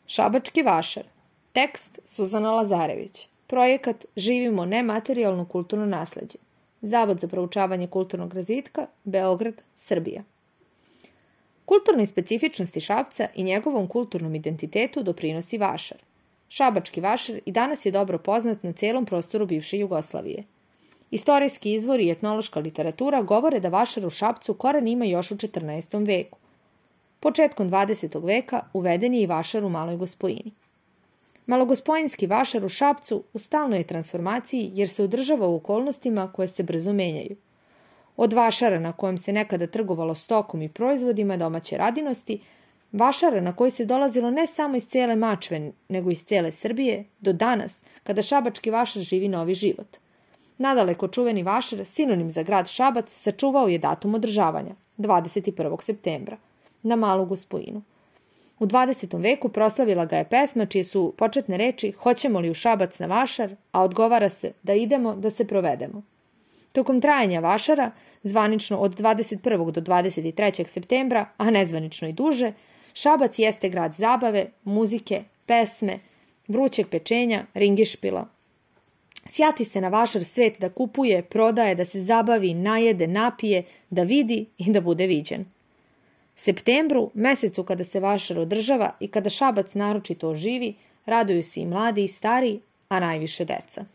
Šabački vašar. Tekst Suzana Lazarević. Projekat Živimo nematerijalno kulturno nasleđe. Zavod za proučavanje kulturnog razvitka, Beograd, Srbija. Kulturnoj specifičnosti Šapca i njegovom kulturnom identitetu doprinosi vašar. Šabački vašar i danas je dobro poznat na celom prostoru bivše Jugoslavije. Istorijski izvori i etnološka literatura govore da vašar u Šapcu koren ima još u 14. veku. Početkom 20. veka uveden je i vašar u Maloj Gospojini. Malogospojinski vašar u Šapcu u stalnoj je transformaciji jer se održava u okolnostima koje se brzo menjaju. Od vašara na kojem se nekada trgovalo stokom i proizvodima domaće radinosti, vašara na koji se dolazilo ne samo iz cele Mačve, nego iz cele Srbije, do danas, kada šabački vašar živi novi život. Nadaleko čuveni vašar, sinonim za grad Šabac, sačuvao je datum održavanja, 21. septembra, na Malu Gospojinu. U 20. veku proslavila ga je pesma čije su početne reči "Hoćemo li u Šabac na vašar", a odgovara se "Da idemo, da se provedemo". Tokom trajanja vašara, zvanično od 21. do 23. septembra, a nezvanično i duže, Šabac jeste grad zabave, muzike, pesme, vrućeg pečenja, ringišpila. Sjati se na vašar svet da kupuje, prodaje, da se zabavi, najede, napije, da vidi i da bude viđen. Septembru, mesecu kada se vašar održava i kada Šabac naročito oživi, raduju se i mladi i stari, a najviše deca.